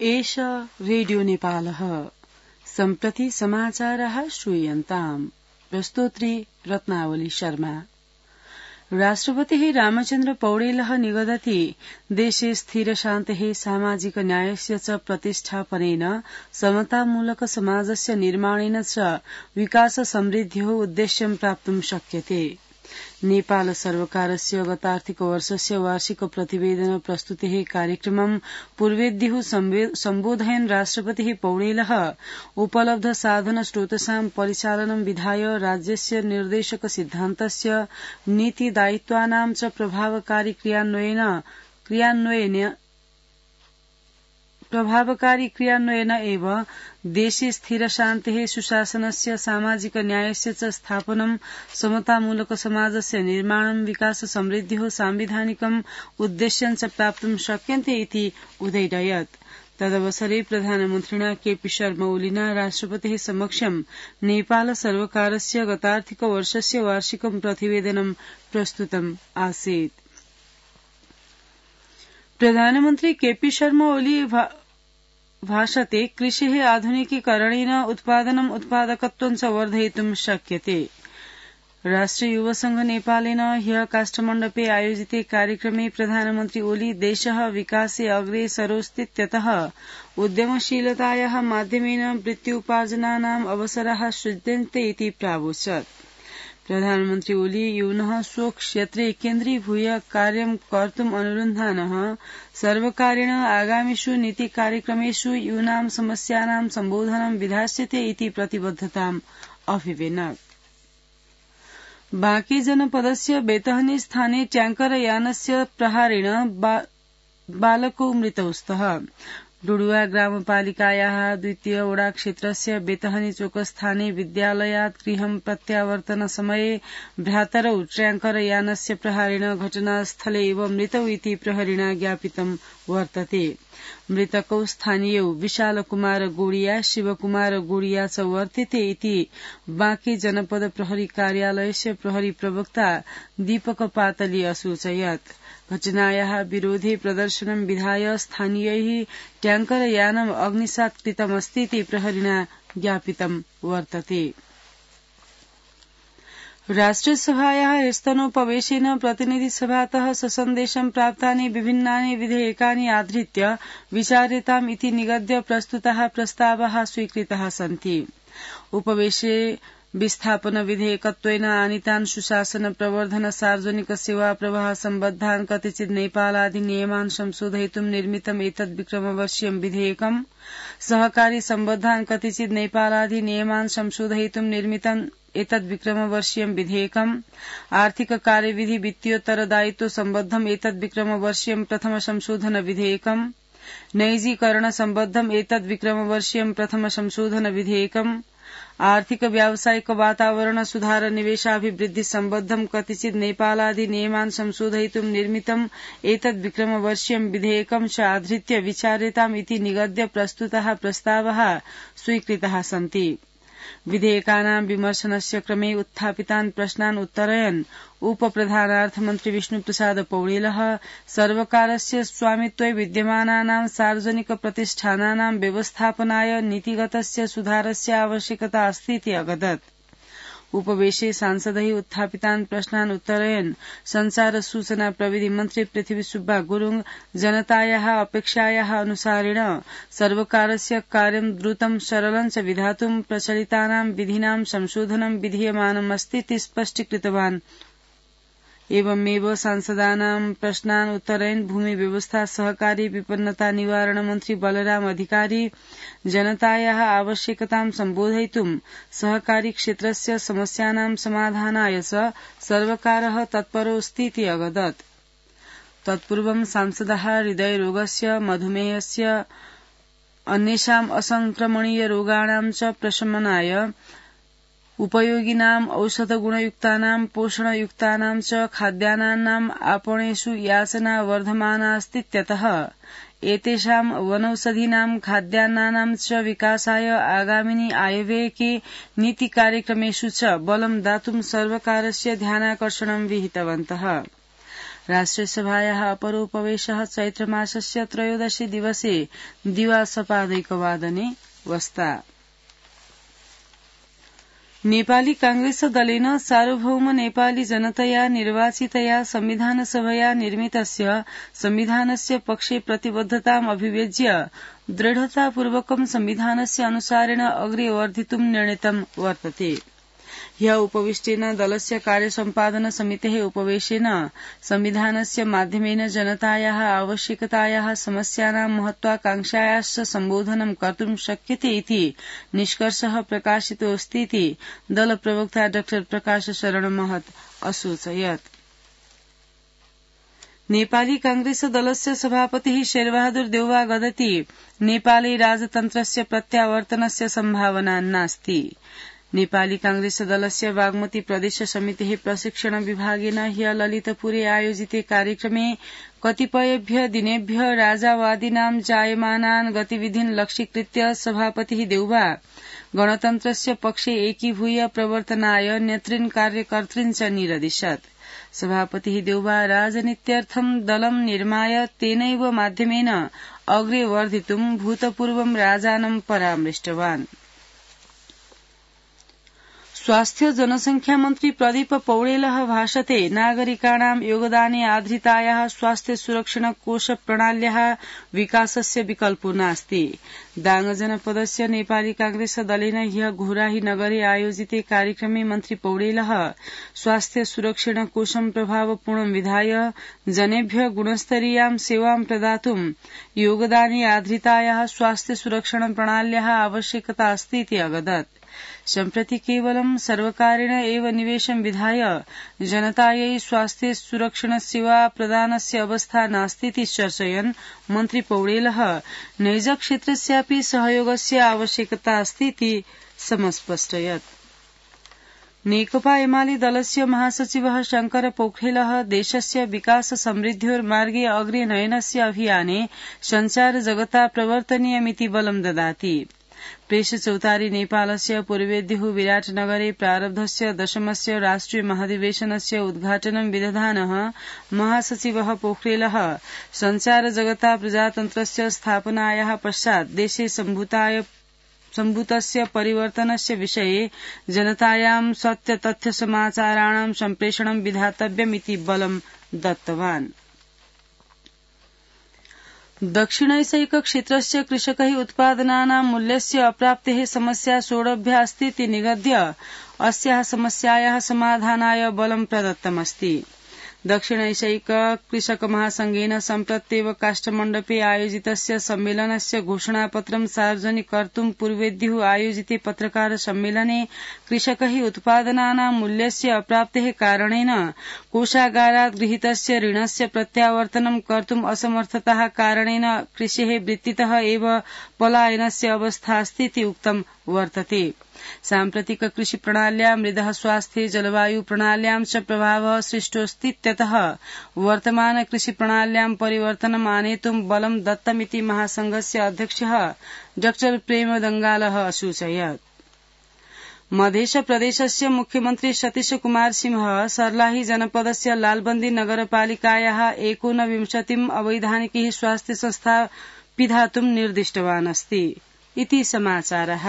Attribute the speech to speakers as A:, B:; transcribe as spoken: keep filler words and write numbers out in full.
A: एष रेडियो नेपालः सम्प्रति समाचारः श्रूयन्ताम् प्रस्तोत्री रत्नावली शर्मा। राष्ट्रपतिः रामचन्द्र पौडेलः निगदति देशे स्थिरशान्तेः सामाजिक न्यायस्य च प्रतिष्ठापनेन समतामूलक समाजस्य निर्माणेन च विकास समृद्ध्योः उद्देश्यं प्राप्तुं शक्यते। नेपाल सर्वकारस्य गत आर्थिक वर्षस्य वार्षिक प्रतिवेदन प्रस्तुतेः कार्यक्रमं पूर्वेद्युः सम्बोधयन् राष्ट्रपतिः पौडेलः उपलब्ध साधन स्रोतसां परिचालनं विधाय राज्यस्य निर्देशक सिद्धान्तस्य नीति दायित्वानां च प्रभावकारी क्रियान्वयन प्रभावकारी क्रियान्वयन एव देशे स्थिरशान्तेः सुशासनस्य सामाजिक न्यायस्य च स्थापनं समतामूलक समाजस्य निर्माणं विकास समृद्ध्योः सांविधानिकम् उद्देश्यं च प्राप्तुं शक्यन्ते इति उदययत्। तदवसरे प्रधानमन्त्रिणा केपी शर्मा ओलिना राष्ट्रपतेः समक्षं नेपाल सर्वकारस्य गतार्थिक वर्षस्य वार्षिकं प्रतिवेदनं प्रस्तुतम् आसीत्। प्रधानमन्त्री केपी शर्मा ओली भाषते कृषेः आधुनिकीकरणेन उत्पादनम् उत्पादकत्वं च वर्धयितुं शक्यते। राष्ट्रिय युवा संघ नेपालेन ह्यः काष्ठमण्डपे आयोजिते कार्यक्रमे प्रधानमन्त्री ओली देशः विकासे अग्रेसरोऽस्तीत्यतः उद्यमशीलतायाः माध्यमेन वृत्त्युपार्जनानाम् अवसराः सृज्यन्ते इति प्रावोचत्। प्रधानमन्त्री ओली यूनः स्वक्षेत्रे केन्द्रीभूय कार्यं कर्तुम् अनुरुन्धानः सर्वकारेण आगामिषु नीतिकार्यक्रमेषु यूनां समस्यानां सम्बोधनं विधास्यते इति प्रतिबद्धताम् अभिवेनत्। बांके जनपदस्य बेतहनी स्थाने ट्याङ्कर यानस्य प्रहारेण बा, बालको मृतौ स्तः। डुडुवा ग्रामपालिकायाः द्वितीय वडा क्षेत्रस्य बेतहनी चोकस्थाने विद्यालयात् गृहं प्रत्यावर्तन समये भ्रातरौ ट्याङ्कर यानस्य प्रहारेण घटनास्थले एव मृतौ इति प्रहरिणा ज्ञापितं वर्तते। मृतकौ स्थानीयौ विशालकुमार गोडिया शिवकुमार गोडिया च वर्तेते इति बांके जनपद प्रहरी कार्यालयस्य प्रहरी प्रवक्ता दीपक पातली असूचयत्। घटनायाः विरोधे प्रदर्शनं विधाय स्थानीयैः ट्याङ्कर यानम् अग्निसात् कृतमस्तीति प्रहरिणा ज्ञापितं वर्तते। राष्ट्रसभायाः स्तनोपवेशेन प्रतिनिधिसभातः ससन्देशं प्राप्तानि विभिन्नानि विधेयकानि आधृत्य विचार्यताम् इति निगद्य प्रस्तुताः प्रस्तावाः स्वीकृताः सन्ति। उपवेशे विस्थापन विधेयकत्वेन आनीतान् सुशासन प्रवर्धन सार्वजनिक सेवा प्रवाह सम्बद्धान् कतिचित् नेपालाधिनियमान् संशोधयितुं निर्मितम् एतद् विक्रमवर्षीयं विधेयकम्, सहकारी सम्बद्धान् कतिचित् नेपालाधिनियमान् संशोधयितुं निर्मितम् एतद् विक्रमवर्षीयं विधेयकम्, आर्थिक कार्यविधि वित्तीयोत्तरदायित्व सम्बद्धम् एतद् विक्रमवर्षीयं प्रथम संशोधन विधेयकम्, नैजीकरण सम्बद्धम् एतद् विक्रमवर्षीयं प्रथम संशोधन विधेयकम्, आर्थिक व्यावसायिक वातावरण सुधार निवेशाभिवृद्धि सम्बद्धम् कतिचित् नेपालाधिनियमान् संशोधयितुं निर्मितम् एतद् विक्रमवर्षीयं विधेयकं च आधृत्य विचार्यताम् इति निगद्य प्रस्तुताः प्रस्तावाः स्वीकृताः सन्ति। विधेयकानां विमर्शनस्य क्रमे उत्थापितान् प्रश्नान् उत्तरयन् उपप्रधानार्थमन्त्री विष्णुप्रसाद पौडेलः सर्वकारस्य स्वामित्वे विद्यमानानां सार्वजनिक प्रतिष्ठानानां व्यवस्थापनाय नीतिगतस्य सुधारस्य आवश्यकता अस्ति इति अवदत्। उपवेशे सांसदैः उत्थापितान् प्रश्नान् उत्तरयन् संचार सूचना प्रविधि मन्त्री पृथ्वी सुब्बा गुरुङ जनतायाः अपेक्षायाः अनुसारेण सर्वकारस्य कार्यं द्रुतं सरलं च विधातुं प्रचलितानां विधीनां संशोधनं विधीयमानमस्ति इति स्पष्टीकृतवान्। एवमेव सांसदानां प्रश्नान् उत्तरयन् भूमि व्यवस्था सहकारी विपन्नता निवारण मन्त्री बलराम अधिकारी जनतायाः आवश्यकतां सम्बोधयितुं सहकारी क्षेत्रस्य समस्यानां समाधानाय च सर्वकारः तत्परोऽस्ति इति अवदत्। तत्पूर्वं सांसदाः हृदयरोगस्य, मधुमेहस्य, अन्येषाम् असंक्रमणीय रोगाणां च प्रशमनाय उपयोगिनाम् औषधगुणयुक्तानां पोषणयुक्तानां च खाद्यान्नानाम् आपणेषु याचना वर्धमानास्तीत्यतः एतेषां वनौषधीनां खाद्यान्नानां च विकासाय आगामिनि आयव्ययके नीतिकार्यक्रमेषु च बलं दातुं सर्वकारस्य ध्यानाकर्षणं विहितवन्तः। राष्ट्रियसभायाः अपरोपवेशः चैत्रमासस्य त्रयोदशी दिवसे दिवासपादैकवादने वस्ता। नेपाली कांग्रेस दलेन सार्वभौम नेपाली जनतया निर्वाचितया संविधानसभया निर्मितस्य संविधानस्य पक्षे प्रतिबद्धताम् अभिव्यज्य दृढतापूर्वकं संविधानस्य अनुसारेण अग्रे वर्धितुं निर्णीतं वर्तते। ह्यः उपविष्टेन दलस्य कार्यसम्पादन समितेः उपवेशेन संविधानस्य माध्यमेन जनतायाः आवश्यकतायाः समस्यानां महत्वाकांक्षायाश्च सम्बोधनं कर्तुं शक्यते इति निष्कर्षः प्रकाशितोऽस्तीति दलप्रवक्ता डॉ प्रकाश शरण महत असूचयत्। नेपाली कांग्रेस दलस्य सभापतिः शेरबहादुर देउवा वदति नेपाली राजतन्त्रस्य प्रत्यावर्तनस्य सम्भावना नास्ति। नेपाली कांग्रेस दलस्य बागमती प्रदेश समितेः प्रशिक्षण विभागेन ह्यः ललितपुरे आयोजिते कार्यक्रमे कतिपयेभ्यः दिनेभ्यः राजावादिनां जायमानान् गतिविधीन् लक्ष्यीकृत्य सभापतिः देउवा गणतन्त्रस्य पक्षे एकीभूय प्रवर्तनाय नेतृन् कार्यकर्तॄन् च निरदिशत्। सभापतिः देउवा राजनीत्यर्थं दलं निर्माय तेनैव माध्यमेन अग्रे वर्धितुं भूतपूर्वं राजानं परामृष्टवान्। स्वास्थ्य जनसंख्या मन्त्री प्रदीप पौडेलः भाषते नागरिकाणां योगदाने आधृतायाः स्वास्थ्य सुरक्षण कोष प्रणाल्याः विकासस्य विकल्पो नास्ति। दाङ जनपदस्य नेपाली कांग्रेस दलेन ह्यः घोराही नगरे आयोजिते कार्यक्रमे मन्त्री पौडेलः स्वास्थ्य सुरक्षण कोषं प्रभावपूर्णं विधाय जनेभ्यः गुणस्तरीयां सेवां प्रदातुं योगदाने आधृतायाः स्वास्थ्य सुरक्षण प्रणाल्याः आवश्यकता अस्ति इति अवदत्। सम्प्रति केवलं सर्वकारेण एव निवेशं विधाय जनतायै स्वास्थ्य सुरक्षण सेवा प्रदानस्य अवस्था नास्तीति चर्चयन् मन्त्री पौडेलः नैजक्षेत्रस्यापि सहयोगस्य आवश्यकता अस्तीति समस्पष्टयत्। नेकपा एमाले दलस्य महासचिवः शंकर पोखरेलः देशस्य विकास समृद्ध्योर्मार्गे अग्रे नयनस्य अभियाने संचार जगता प्रवर्तनीयमिति बलं ददाति। प्रेस चौतारी नेपालस्य पूर्वेद्युः विराटनगरे प्रारब्धस्य दशमस्य राष्ट्रिय महाधिवेशनस्य उद्घाटनं विदधानः महासचिवः पोखरेलः संचार जगता प्रजातन्त्रस्य स्थापनायाः पश्चात् देशे सम्भूताय सम्भूतस्य परिवर्तनस्य विषये जनतायां सत्य तथ्य समाचाराणां सम्प्रेषणं विधातव्यमिति बलं दत्तवान्। दक्षिणैसैक क्षेत्रस्य कृषकैः उत्पादनानां मूल्यस्य अप्राप्तेः समस्या सोढव्यास्तीति निगद्य अस्याः समस्यायाः समाधानाय बलं प्रदत्तमस्ति। दक्षिणैसैक कृषक महासंघेन सम्प्रत्येव काष्ठमण्डपे आयोजितस्य सम्मेलनस्य घोषणापत्रं सार्वजनिक कर्तुं पूर्वेद्युः आयोजिते पत्रकार सम्मेलने कृषकैः उत्पादनानां मूल्यस्य अप्राप्तेः कारणेन कोषागारात् गृहीतस्य ऋणस्य प्रत्यावर्तनं कर्तुं असमर्थताः कारणेन कृषेः वृत्तितः एव पलायनस्य अवस्था अस्तीति उक्तं वर्तते। साम्प्रतिक कृषि प्रणाल्या मृदः स्वास्थ्ये जलवायु प्रणाल्यां च प्रभावः सृष्टोऽस्तीत्यतः वर्तमान कृषि प्रणाल्यां परिवर्तनम् आनेतुं बलं दत्तमिति महासंघस्य अध्यक्षः डॉ प्रेमदंगालः असूचयत्। मध्यप्रदेशस्य मुख्यमन्त्री सतीश कुमार सिंह सर्लाही जनपदस्य लालबन्दी नगरपालिकायाः एकोनविंशतिम् अवैधानिकैः स्वास्थ्य संस्था पिधातुं निर्दिष्टवान् अस्ति इति समाचारः।